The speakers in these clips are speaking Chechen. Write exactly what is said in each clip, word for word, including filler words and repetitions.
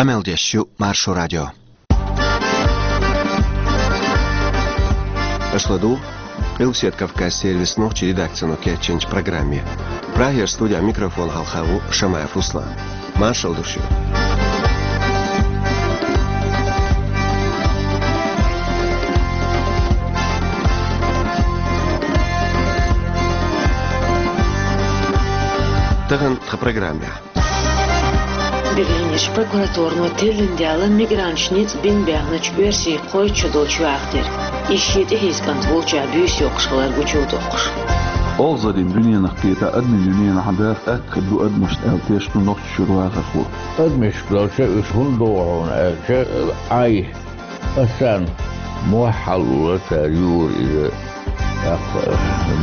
Къамел деш ю Маршо радио. Аша ладугӀу Къилбаседа Кавказ сервисан нохчийн редакцино кечйинчу программе. Прагера студехь микрофон хьалха ву Шамаев Руслан. Маршалла ду шуьга. Тахана тхан программехь. Берлинерчу прокуратуро теллина даьлла мигранташ ницкъ бина баьхначу оьрсийн кхойтта шо долчу юьхьах тера. Иза шен тӀехьийза кӀант волчохь буьйса йоккхуш хилар гучудоккхуш. Олхазарийн дуьненах кхета, адамийн дуьненахь даха атта хир ду адамашна аьлла тешна ду Нохчийчуьра вахархо. Адамашка долчу уьш хӀунда догӀу хьуна аьлча, Ӏай, аса царна мохь хьалалора, цара юура иза, тӀаккха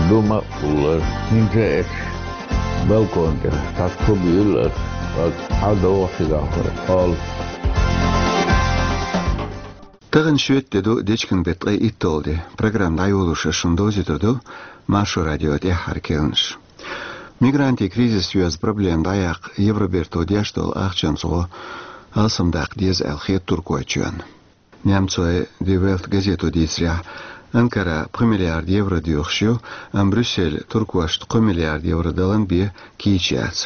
дума а хулара. ХӀинца а эцча балкон тӀе цхьацца хӀу буьйлла аса, хьал догӀу цигахь кхолла. Тахана шоьтан де ду, дечкен беттан ткъе итталгӀа де. Программа дӀайолош аса шуна довзуьйтур ду Маршо радион тӀаьххьара керланаш. Мигрантийн кризис йоьзна проблема дӀаяккха Евроберто деш долу ахчанца гӀо алсамдаккха деза аьлла хета Туркойчоьнна. Немцойн Die Welt газето дийцарехь, Анкара пхи миллиард евро доьхуш ю, амма Брюссель туркошна кхо миллиард евро далан бен кийча яц.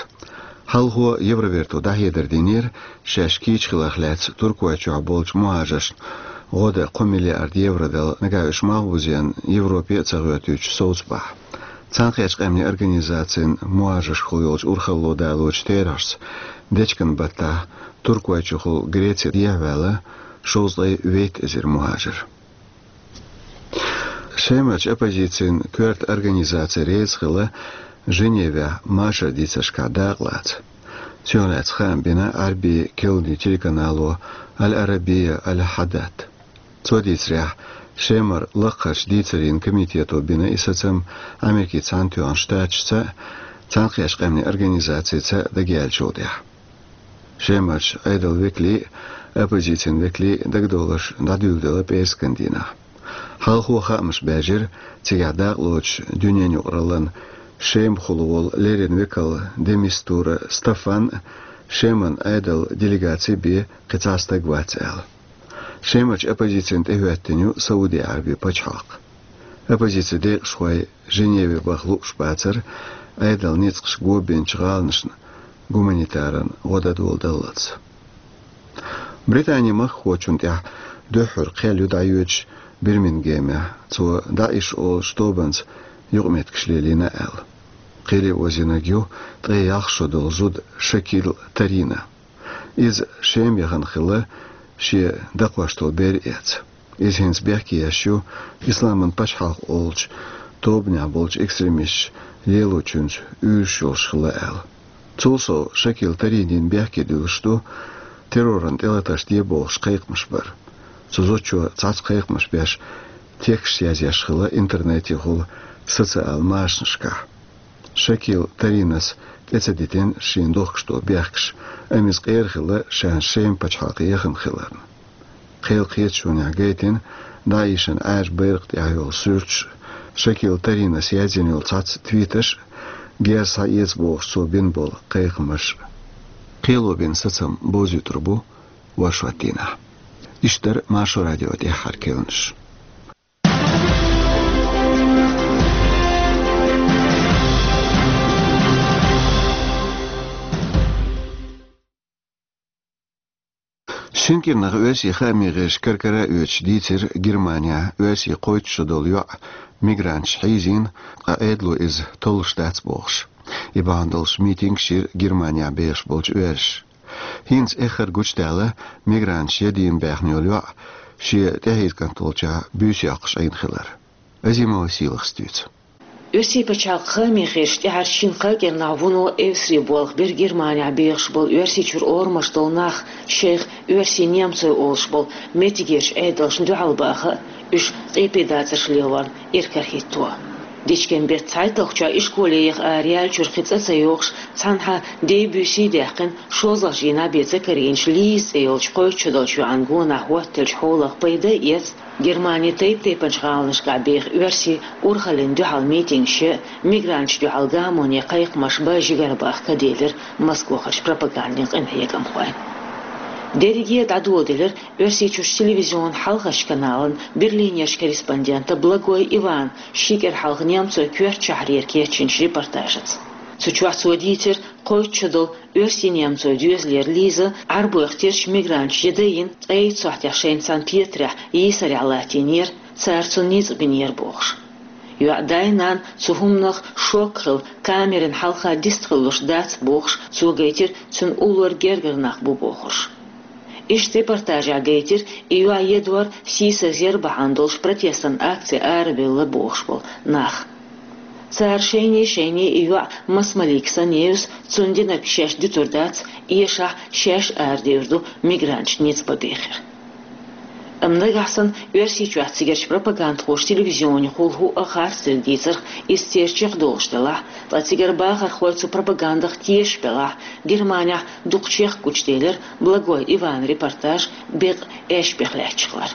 Хьалхо Евроберто дӀахьедар динера, шаьш кийча хиларх лаьцна Туркойчохь болчу мухӀажаршна гӀо дан кхо миллиард евро дала, нагахь уьш малхбузенна Европе а ца гӀоьртича совцабахь. Цхьаьнакхеттачу Къаьмнийн Организацин мухӀажаршкахула йолчу урхалло далочу терахьашца, дечкен баттахь Туркойчухула Греце дехьаваьлла шовзткъе вейтта эзар мухӀажар. Шемарчу оппозицин коьрта организаци реза хилла Женевехь машар дийцаршкахь дакъа лаца. Цунах лаьцна хаам бина Ӏаьрбийн керланийн телеканало Аль-Арабия Аль-Хьадат. Цо дийцарехь, Шемара лакхарчу дийцарийн комитето бина и сацам Америкин Цхьаьнатоьхна Штаташца а, Цхьаьнакхеттачу Къаьмнийн Организацица а дагаяьллачул тӀаьхьа. Шемарчу Ӏедалан векалийн а, оппозицин векалийн а дагадовларш дӀадуьйладелла пӀераскан дийнахь. Хьалхо хаамаш баьржира, цигахь дакъалоцуш дуьненан юкъараллин Шемахула волу леррина векал де Мистура Стаффан а, Шеман Ӏедалан делегаци бен кхин цхьа стаг вац аьлла. Шемарчу оппозицина тӀехӀоьттина ю Сауди Ӏаьрбийн пачхьалкх. Оппозицин декъашхой Женеве баха лууш бацара Ӏедалан ницкъаш го бинчу гӀаланашна гуманитаран гӀо дан дола даллалц. Британин махкахочунна тӀехь дуьххьара кхел ю дӀайоьдуш Бирмингемехь, цо ДаӀиш олучу тобанца юкъаметтигаш лелийна аьлла. Кхеле озийнарг ю ткъе ялх шо долу зуда Шакил Тарина. Иза Шема яхана хилла шен дакхош долу бер эца. Иза хӀинца бехке еш ю Исламан пачхьалкх олучу тобанехь болчу экстремисташа лелочуьнца уьйраш йолуш хилла аьлла. Цул сов, Шакил Таринина бехке дуьллуш ду терроран тӀелатарш де бохуш кхайкхамаш бар. Цу зудчо цхьацца кхайкхамаш беш, тексташ язъеш хилла интернетехула социал машанашкахь. Шакил Таринас тӀе ца дитина шена дохкуш долу бехкаш, амма иза къера хилла ша Шема пачхьалкхе яхана хиларна. Кхел кхеташонехь гайтина ДаӀишан Ӏаьржа байракх тӀехь йолу суьрташ, Шакил Таринас яздина йолу цхьацца твиташ а, герз схьаэца бохуш цо бина болу кхайкхамаш а. Кхело бина сацам бовзуьйтур бу оршот дийнахь. Иштта дара Маршо радион тӀаьххьара керланаш. Шина кӀирнах оьрсийн хаамийн гӀирсаша кар-кара а оьцуш дийцира Германехь оьрсийн кхойтта шо долу йоӀ мигранташа хьийзийна, ткъа Ӏедало иза толлуш дац бохуш. И бахьана долуш митингаш йира Германехь бехаш болчу оьрсаша. ХӀинца эххар гучудаьлла мигранташа ядийна баьхна йолу йоӀ шен тӀехьийза кӀант волчохь буьйса йоккхуш Ӏийна хилар. Азимова Сийлахьас дуьйцу. Оьрсийн пачхьалкхан хаамийн гӀирсашна тӀаьхьарчу шина-кхаа кӀирнахь вуно эвсаре болх бира Германехь бехаш болу Оьрсийчуьра орамаш долу нах шайх оьрсий-немцой олуш болу меттигерчу Ӏедалшна дуьхьал баха а, уьш къепедацарш лелорна иракарахӀитто. Дечкен беттан цхьайтталгӀачохь ишколе яха араяьллачуьра кхин цӀа ца йогӀуш, цхьанхьа дей-буьйсий даьккхина, шолгӀачу дийнахь бен ца карийначу Лиза цӀе йолчу кхойтта шо долчу йоӀан гонах хӀоттаделлачу хьолах пайда а эца, Германин тайп-тайпанчу гӀаланашкахь беха оьрсий урхаллина дуьхьал митингаш ян, мигранташна дуьхьал гамоне кхайкхамаш бан жигарабахка делира Москвахарчу пропагандин къинхьегамхойн. Дерриге дӀадоладелира Оьрсийчуьрчу телевизионан хьалхарчу каналан Берлинерчу корреспондента Благой Ивана ши кӀира хьалха немцойн коьртачу шахьарера кечйинчу репортажаца. Цу чохь цо дийцира кхойтта шо долу оьрсий-немцойн доьзалера Лиза Ӏарбойх терчу мигранташа ян дайина, ткъе итт сохьтехь шайна цхьана петарехь йийсарехь латтийнера, цара цунна ницкъ бинера бохуш. ЙоӀ дай-нана цу хӀуманах шок хилла, камеран хьалха дистхуьлуш дац бохуш, цо гайтира, цуьнан уллора гергара нах бу бохурш. Иштта репортажехь гайтира и йоӀ едор сийсаз яр бахьана долуш протестан акци арабевлла бохуш болу нах. Цара шайне-шайне и йоӀ маса малик санна евза, цунна динарг шаьш дуьтур дац, эшахь шаьш арадевр ду мигранташна ницкъ бан бехира. Амма нагахь санна Оьрсийчохь цигарчу пропагандхоша телевизионехула хӀуъа харцдерг дийцарх, иза церан чекхдолуш делахь, ткъа цигара бахархой цу пропагандах тешаш белахь, Германехь дукха чехка гучуделира Благой Иван репортаж бекъа аьшпех лаьтташ хилар.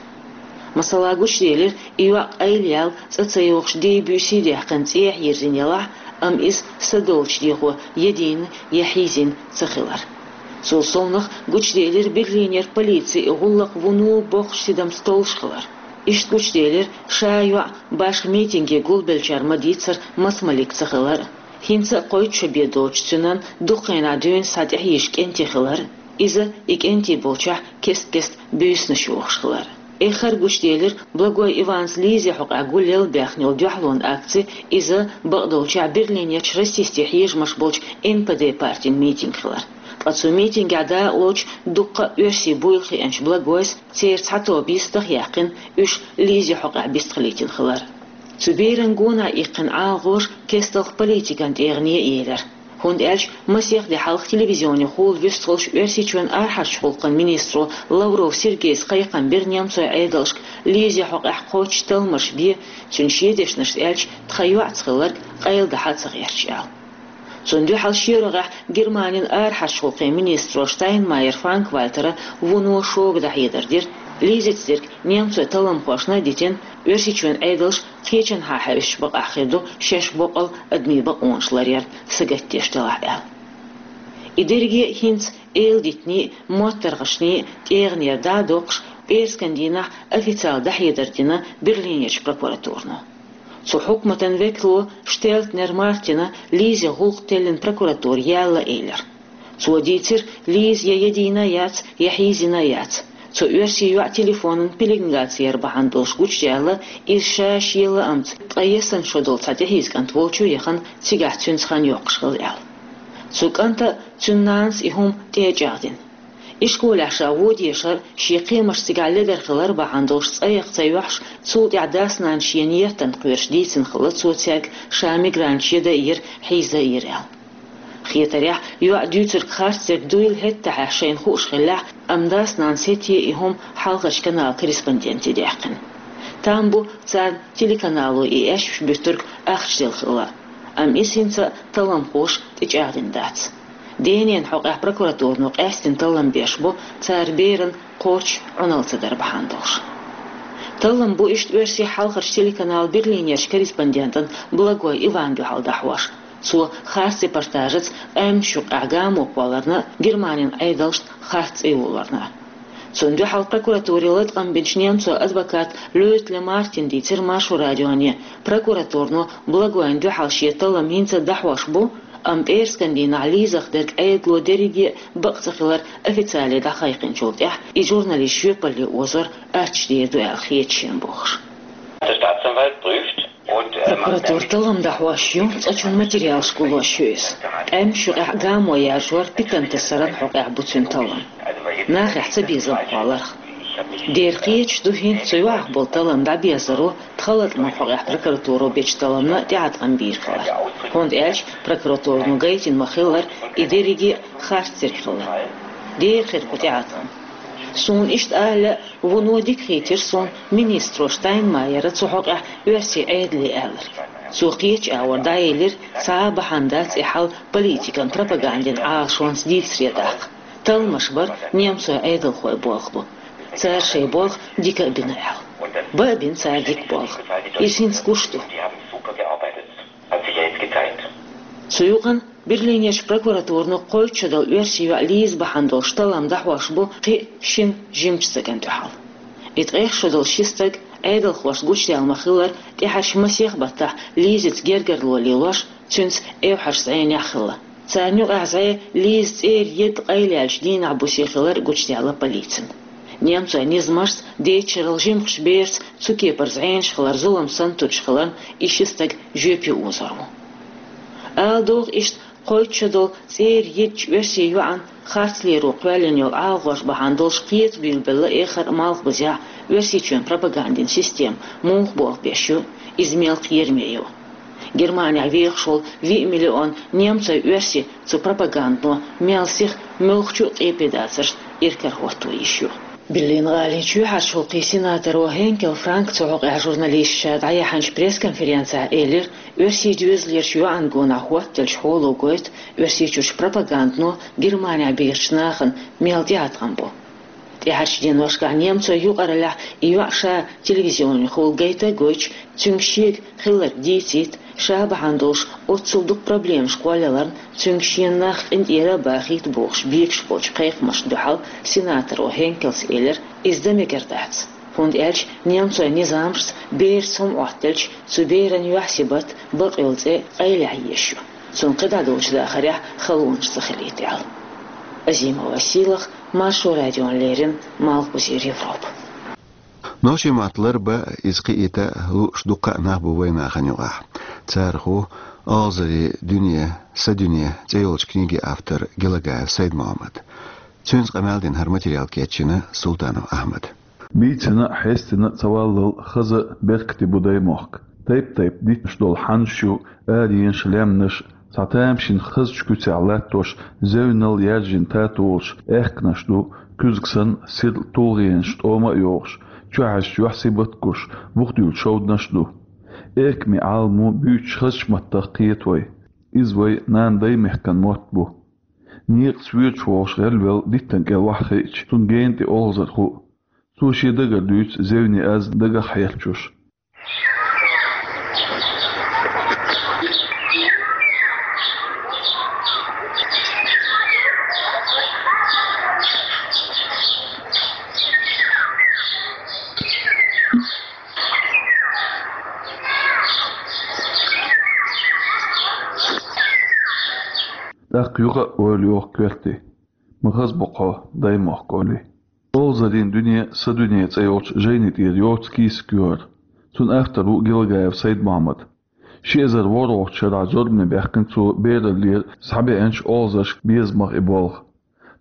Масала, гучуделира и йоӀ къайлаяьлла, цӀа ца йогӀуш, дей-буьйсий даьккхина цӀехьа йирзина елахь, амма иза са долчу дегӀо я дийна, я хьийзийна ца хилар. Цул совнаха гучуделира Берлинера полици и гӀуллакх вуно боккхачу тидамца толлуш хилар. Иштта гучуделира ша йоӀ башха митинге гулбеллачара ма-дийццара маса малик ца хилар, хӀинца а кхойтта шо бен доцучу цуьнан дукха хенахь дуьйна схьатӀехьийзаш кӀентий хилар, иза и кӀентий болчохь кест-кеста буьйсанаш йохуш хилар. Эххар гучуделира Благой Иванца Лизин хьокъехь гулъелла баьхна йолу дуьхьалонан акци, иза, бакъдолчохь, Берлинерчу расистийн хьежамаш болчу Н П Д партин митинг хилар. Ткъа цу митингехь дакъалоцуш дуккха а оьрсий буйла хиъначу Благойс, церан цхьа тоба йистах а яьккхина, уьш Лизин хьокъехь бистхилийтина хилар. Цу беран гонах иккхина ӀалагӀожа кестта политикан тӀегӀане а елира. ХӀунда аьлча масех де хьалха телевизионехула вуьсталуш Оьрсийчоьнан арахьарчу гӀуллакхийн министро Лавров Сергейс кхайкхам бира немцойн Ӏедалшка Лизин хьокъехь кхоччуш талламаш бе, цуьнан шен дешнашца аьлча, тхан йоӀца хилларг къайладахьа а ца гӀерташ аьлла. Цунна дуьхьал шен рогӀехь Германин арахьарчу гӀуллакхийн министро Штайнмайер Франк-Вальтера вуно шога дӀахьедар дира, Лизица дерг немцойн талламхошна а дитина, Оьрсийчоьнан Ӏедалш кхечанхьа хьаьвсича бакъахь хир ду шаьш боккъал адамийн бакъонаш ларъяр сагатдеш делахь аьлла. И дерриге а хӀинца эладитанийн а, моттаргӀанийн а тӀегӀанера дӀа а доккхуш, пӀераскан дийнахь официалан дӀахьедар дина Берлинерчу прокуратуро. Цу хьукматан векало Штелтнер Мартина Лизин гӀуллакх теллина прокуратуре яьлла элира. Цо дийцира, Лиза я ядийна яц, я хьийзийна яц. Цу оьрсийн йоӀан телефонан пеленгаци яр бахьана долуш гучудаьлла, иза ша шен лаамца, ткъе ялх шо долу цхьа тӀехьийза кӀант волчу яхана, цигахь цуьнца хан йоккхуш хилла аьлла. Цу кӀанта а, цуьнан нанас а и хӀума тӀе а чӀагӀдина. Ишколехь ша вон дешар, шен кхиамаш цигахь ледара хилар бахьана долуш цӀа яккха ца йоьхьуш, цул тӀаьхьа дас-нанас шена еттанна кхоьруш дийцина хилла цо цаьрга, ша мигранташ ян дайира, хьийза дайира аьлла. Хетарехь, йоӀа дуьйцург харцдерг дуйла хӀетахь шайна хууш хиллехь, амма дас-нанас хӀетте а и хӀума хьалхарчу каналан корреспонденте даьккхина. Там бу царна телеканало и аьшпаш буьттург ахча делла хилла, амма иза хӀинца а талламхоша тӀечӀагӀдина дац. Денан хьокъехь прокуратуро къаьстина таллам беш бу, цара беран кхоччуш Ӏуналла ца дар бахьана долуш. Таллам бу иштта оьрсийн хьалхарчу телеканалан Берлинерчу корреспондентана Благой Ивана дуьхьал дӀахьош. Цо харц репортажаца къаьмнашна юкъахь гамо кхолларна а, Германин Ӏедалшна харц цӀе йолорна а. Цунна дуьхьал прокуратуре латкъам бинчу немцойн адвоката Лётле Мартина дийцира Маршо радионе, прокуратуро Благойна дуьхьал шен таллам хӀинца а дӀахьош бу, амма пӀераскан дийнахь Лизах дерг Ӏедало дерриге а бакъ ца хилар официале дӀакхайкхинчул тӀаьхьа и журналист жоьпалле озор аттачу дер ду аьлла хета шена бохуш. Der Staatsanwalt prüft und, äh, macht Прокуратура таллам дӀахьош ю, цкъачунна материалаш гуллош ю иза. Къаьмнашна юкъахь гамо яржор питана тасаран хьокъехь бу цуьнан таллам. Нахехь цабезам кхолларх. Дера кхеташ ду хӀинца цу йоӀах болу таллам дӀабезаро, тхан латкъаман хьокъехь прокуратуро бечу талламна тӀеӀаткъам бийр хилар. ХӀунда аьлча прокуратуро гайтина ма-хиллара, и дерриге а харцдерг хилла. Дера хир бу тӀеӀаткъам. Суна иштта ала, вуно дика хийтира суна министро Штайнмайера цу хьокъехь оьрсийн Ӏедале аьлларг. Цо кхечу агӀор дӀаелира, цхьа а бахьана дац и хьал политикан пропагандин Ӏалашонца дийцаре даккха. Талламаш бар немцойн Ӏедалхойн болх бу. Цара шайн болх дика а бина аьлла. Бан а бина цара дика болх. Иза хӀинца гуш ду. Цу юкъана Берлинерчу прокуратурано кхойтта шо долу оьрсийн йоӀ Лиза бахьана долуш таллам дӀахьош бу кхин а шина жимачу стагана дуьхьал. И ткъех шо долу ши стаг, Ӏедалхошца гучудаьлла ма-хиллара, тӀаьхьарчу масех баттахь Лизица гергарло лелош, цуьнца эвхьарчу зӀенехь хилла. Царна юкъахь зӀе Лиза цӀера едда къайлаяьллачу дийнахь бусе хилар гучудаьлла полицина. Немцойн низамашца дечарал жимачу берца цу кепара зӀенаш хилар зулам санна туьдуш хиларна и ши стаг жоьпе озор ву. Ала догӀу иштта, кхойтта шо долу цӀера еддачу оьрсийн йоӀана харцлеро кхоьллина йолу Ӏалагӏош бахьана долуш кхетам билгалбелла эххар а Малхбузехь Оьрсийчоьнан пропагандин система муха болх беш ю, иза мел кхераме ю. Германехь вехаш волу виъ миллион немцойн оьрси цу пропагандано мел сиха, муьлххачу а къепе дацаршна иракарахӀотто йиш ю. Берлин-гӀалин чоьхьарчу гӀуллакхийн сенаторо Хенкел Франка цу хьокъехь журналисташка дӀаяьхьначу пресс-конференцехь элира, оьрсийн доьзалерчу йоӀана гонах хӀоттаделлачу хьоло гойту Оьрсийчуьрчу пропагандано Германехь бехачу нахана мел тӀеӀаткъам бу. ТӀаьхьарчу деношкахь немцойн юкъараллехь и йоӀ ша телевизионехула гайта а гойтуш, цуьнга шега хилларг дийцийта, ша бахьана долуш оццул дукха проблемаш кхоллаяларна, цуьнга шена нах къинтӀера а бахийта бохуш бекаш болчу кхайкхамашна дуьхьал сенаторо Хенкелс элира, иза дан мегар дац. ХӀунда аьлча немцойн низамашца бераца хӀума Ӏоттаделча, цу беран юьхь-сибат, бакъйолу цӀе къайлаяхьа езаш ю. Цунна кхидӀа долчу дахарехь халонаш ца хилийта аьлла. Азимова Сийлаха, Маршо радиона леррина, Малхбузера Европа. Нохчийн мотт ларбан, иза кхиийта лууш дуккха а нах бу вайн нахана юкъахь. Царах ву «Олхазарийн дуьне, сан дуьне» цӀе йолчу книгин автор Гелагаев Сайд-Мохьмад. Цуьнца къамел дина хӀара материал кечйина Султанов Ахьмада. Бийцина а, хьестина а ца валлал, хаза а, беркате бу даймохк. Тайп-тайпа дитташ долу хьанаш ю, аренаш, лаьмнаш, цхьа тамашийна хазачу куьцехь латтош, зевнал яьржина татолаш, аьхканаш ду, куьзга санна сирла тулгӀенаш тӀома а йохуш, чохьаьжча юьхь-сибат гуш, бухдуьйлу шовданаш а ду. Эркаме Ӏаламо буьйцуш хазачу маттах кхета вай. Иза вай нана-даймехкан мотт бу. Некъаца воьдуш вогӀуш гӀелвелла диттан кӀел охьахиъча, цунна гена тӀе олхазар хуу. Цо шен дагара дуьйцу зевне аз дагах хьерчош. ТӀаккха юха а ойла йоху коьрте: «Ма хаза бу хьо, даймохк», — олий. «Олхазарийн дуьне, сан дуьне» цӀе йолчу жайни тӀера йоцу кийсак ю хӀара. Цуьнан автор ву Гелагаев Сайд-Мохьмад. Ши эзар ворхӀалгӀачу шарахь зорбане баьхкина цо бераллера схьабеанчу олхазаршка безамах и болх.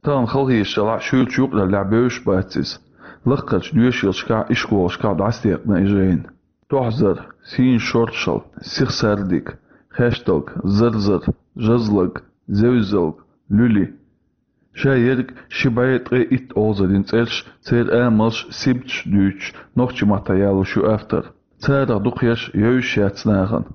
Тахана халахеташ делахь а, шуьйрачу юкъараллехь бевзаш бац иза. Лаккхарчу доьшийлашкахь а, ишколашкахь а дӀасадекъна и жайна. Тохьзар, сийна шоршал, сиха сардиг, хешталг, зарзар, жазлаг, зевзалг, луьли. Ша ерриг ши бӀе ткъе итт олхазарийн цӀераш, церан амалш, сибаташ дуьйцуш, нохчийн маттахь ялош ю автор. Царах дукхаерш евзаш яц нахана.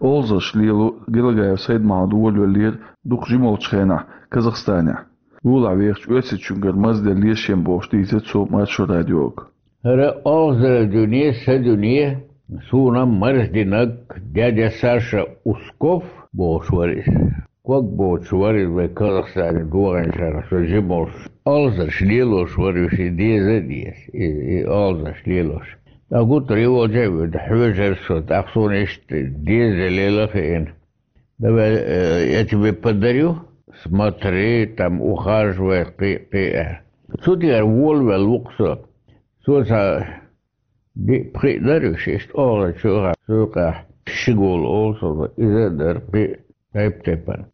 Олхазарш лело Гелагаев Сайд-Мохьмад волавеллера дукха жимолчу хенахь Казахстанехь. Лулахь вехачу оьрсичуьнгара мазделлера шен бохуш дийцира цо Маршо радиога. ХӀара «Олхазарийн дуьне, сан дуьне, суна марздинарг дядя Саша Усков» бохуш вара иза. Ког боцуш вара иза вай Казахстане догӀанчарах, со жимолуш. Олхазарш лелош вара уьш, и деза а деза, и, и олхазарш лелош. ТӀаккха гуттар и волча а воьду, хьоьжура со, тӀаккха суна иштта деза лела а хиъна. Давай, э, я тебе подарю, смотри, там, ухаживай, кхин а, кхин а. Цу тӀера волавелла ву-кх со. Цо цхьа диъ-пхиъ дара уьш, иштта олхазарш чу а хьаьжна, цу юкъахь Шигол олу со, иза а дара, кхин а тайп-тайпана.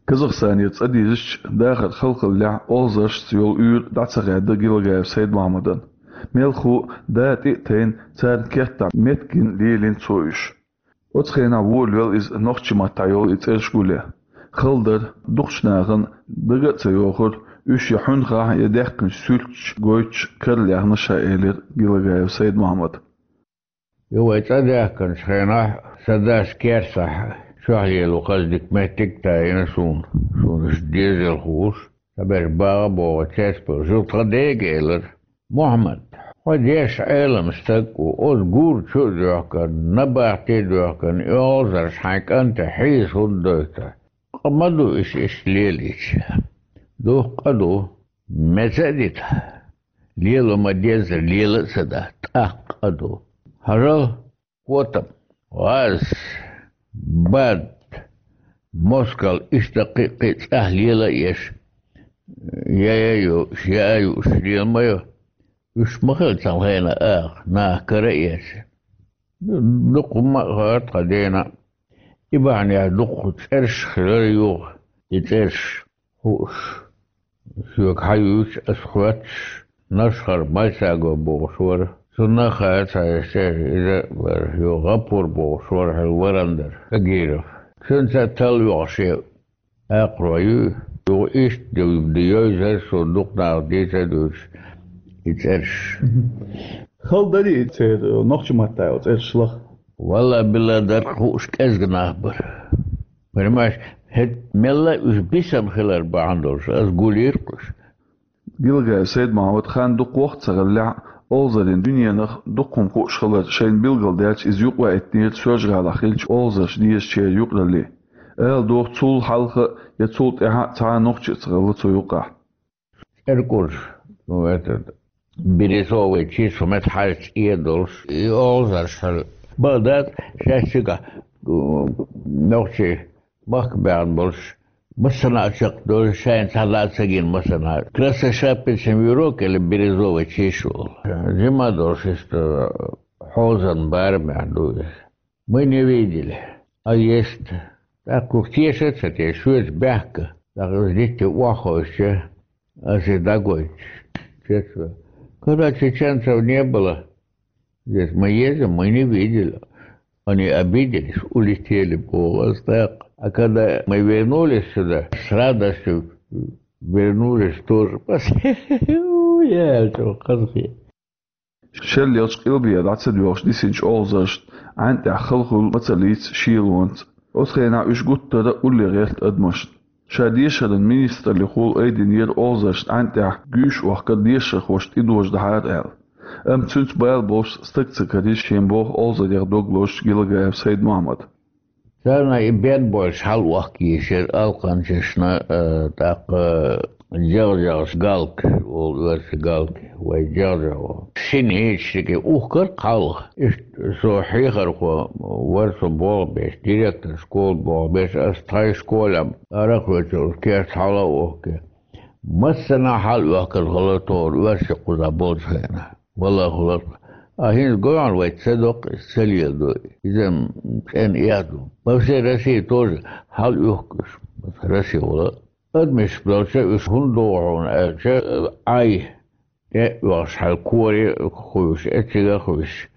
Казахстанера цӀа дезачу дахар халхаллехь, олхазаршца йолу уьйр дӀа ца хаьдда Гелагаев Сайд-Мохьмадан. Мелхо а, да тӀе а тайна, царна кеттахь меттигна лелийна цо уьш. Оцу хенахь волавелла иза нохчийн маттахь йолу и цӀераш гулъян. Хала дара, дукхачу нахана дага а ца йохура, уьш я хьуьнхахь, я даьккхинчу суьрташ гойтуш карла яьхна ша, элира Гелагаев Сайд-Мохьмада. Ю вай цӀа даьхкинчу хенахь, сан дас керсахь чохь лело хаза дика меттиг а тайна суна, суна уьш дезал хууш. Сан берш багӀа а богӀу, цецбевлла, тхан дега элира: «Мохьмад, хьо дешан Ӏелам стаг ву, оцу гура чу а доьхкина, набахте а доьхкина, и олхазарш хьайн кӀанте хьийза хӀунда дойту?» Къа ма ду иш, иш лелийча. Духкъа ду, меца а дита. Лела ма деззара, лела а ца да, тӀаккха къа ду. Хьажал, котам, гӀаз, бад, москал, иштта кхин а, кхин а цӀахь лела а еш, я а юуш, я а юуш, лела ма ю. Уьш ма хилла цхьана хенахь аха, наха кара а эцна. Дукха ма а хаар тхан дена. И бахьанехь дукха цӀераш хилар юха, и цӀераш хууш. Соьга хьан юьйцу ас хоьттуш, Нашхара Мальсаго бохуш вара. Цунна а хаьа цхьа цӀераш, иза а вара, юха ГӀапур бохуш вара хьуна, варан дара, Кагиров. Цуьнца а талла йогӀуш я акхарой ю, юха иштта ду, ду йовзар, суна дукха наха дийца а дуьйцуш, и цӀераш. Хала дарий церан нохчийн маттахь йолу цӀераш лаха? Валла-билла, дара хууш кӀезга нах бара. Понимаешь, хӀета мелла а уьш бисина хилар бахьана долуш, ас гулйира-кх уьш. Гилагаев Сайд-Мохьмад хан дукха воккха ца хиллехь а, олхазарийн дуьненах дукха хӀума хууш хилар шайна билгалдаьлча, иза юкъаваийтинера Соьлжа-ГӀалахь хиллачу олхазарш дезачеран юкъаралле. Ала догӀу, цул хьалха а, я цул тӀаьхьа а цхьа а нохчи а ца хилла цу юкъахь. ЦӀеркъурш, ну, этот, бирюзовый чиш, хӀумма хьаьжча цӀе долуш, и олхазарш хьал. Бакъ дац, шаьш цигахь, м, нохчий махка баьхна болуш, массанхьа а чекхдолуш, шайна цхьа а ца гина массанхьа. Красная шапочная юрок или бирюзовый чиш волу. Жима долуш иштта хьозан барамехь ду иза. Мы не видели. А есть. ТӀаккха уьш теша а ца теша, шоьца баьхка. ТӀаккха иза дитте охьахевшича, ас иза дӀагойтуш, чечва. Когда чеченцев не было, здесь мы едем, мы не видели. Они обиделись, улетели, боху ас тӀаккха. А когда мы вернулись сюда, с радостью вернулись тоже. Я, что, хазахе. Шеллехьчу къилбехьа дӀа ца доьгӀуш дисинчу олхазаршна Ӏаьнна тӀехь хала хуьлу ма ца лийца шелонца. Оцу хенахь уьш гуттара а улле гӀерта адамашна. Ша дешаран министраллехула айдинера олхазаршна Ӏаьнна тӀехь гуьйш охкар дешархошна тӀедожадахьара аьлла. Амма цуьнца бала болуш стаг ца карийра шен боху олхазарех дог лозучу Гилагаев Сайд-Мохьмада. Царна и бен болуш хьал охка йийшира алкханчашна, э, тӀаккха жагӀжагӀаш галка, олу оьрсийн галка, вай жагӀжагӀо. Синички ухкар кхалха. Иштта со хьехархо вара со болх беш, директор школы болх беш, ас тхайн школе ара а кхоьссина, кешнашка хьал а охка. Массанхьа хьал оьхкина хилла тхуна оьрсийн кхузахь болчу хенахь. Валлахь, хӀума. А хӀинца гой хьуна, вай ца доккху иза, ца леладо. Иза-м цӀена эхь ду. По всей России тоже хьал оьхку уьш. Россия вала. Адамаш болча уьш хӀунда догӀу хьуна аьлча, Ӏай тӀе а оьхуш, хьал коре а хуьйсуш, эццига а хуьйсуш,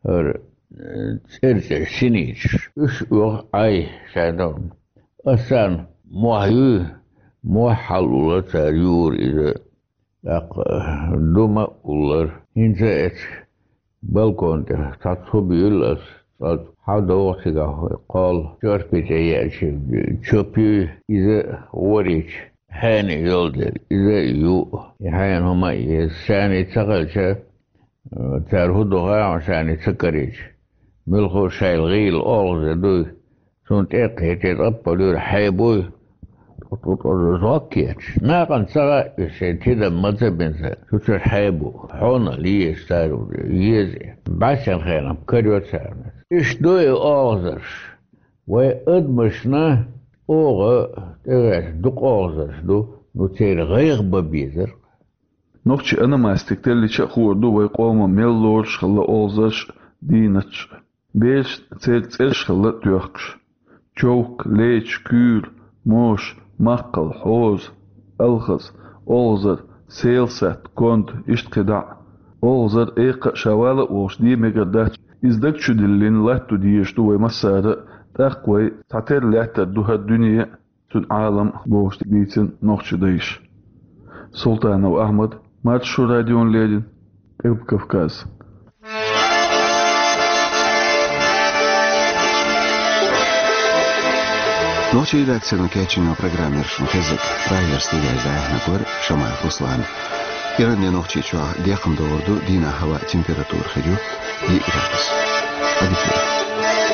хӀара, э, цӀерцӀерш, синичаш. Уьш оьху Ӏай шайна. Ас царна мохь юй, мохь хьалаулла цара юра иза. ТӀаккха дума а уллара. ХӀинца а эцу балкон тӀе цхьацца хӀу буьйлу ас, цкъа хьал догӀу цигахь кхолла, чорпи тӀе еача, чопуьй, иза а ворийча, хьенан йолу дерг, иза а ю, и хьенан хӀума а еза. Шаьний ца хилча, цара хӀу ду хаьа хьуна, шаьний ца карийча. Муьлхха шайла гӀийла олхаза дуй. Цунна тӀе а кхетий, тӀаппалуьйра хьебуй, тӀу-тӀу-тӀу зӀок кечаш. Нахана ца хаьа, уьш шайн тидам ма ца бина ца, цу чуьра хьебу. Хьона лезаш цара еза. БӀаьсен хенахь карайо царна. Иштта ду и олхазарш. Вай адамашна оха тӀегӀерта дукха олхазарш ду, ну церан гӀайгӀа бан безара. Нохчийн ономастика теллича а хуур ду вай къоман мел лоруш хилла олхазарш а, дийнаташ а. Берашна церан цӀераш хилла тоьхкуш: човк, леча, куьйра, моша, маккхал, хьоза, алхаза, олхазар, селсатта, конда, иштта кхидӀа а. Олхазар экха а, ша вала а волуш де мегар дац. Иза даг чу диллина латто дезаш ду вай массара а, тӀаккха вай цхьатерра лаьттар ду хӀара дуьне а, цуьнан Ӏалам а, бохуш дийцина нохчийн дайша. Султанов Ахьмад, Маршо радиона леррина, Къилба Кавказ. Нохчийн редакцино кечйина программа яра шуна хезнарг. Прагера студехь дӀаяьхьнарг вара Шамаев Руслан. Иранне Нохчийчохь декхна догӀур ду, дийнахь хӀаваан температура хир ю диъ градус. Ӏадика йойла.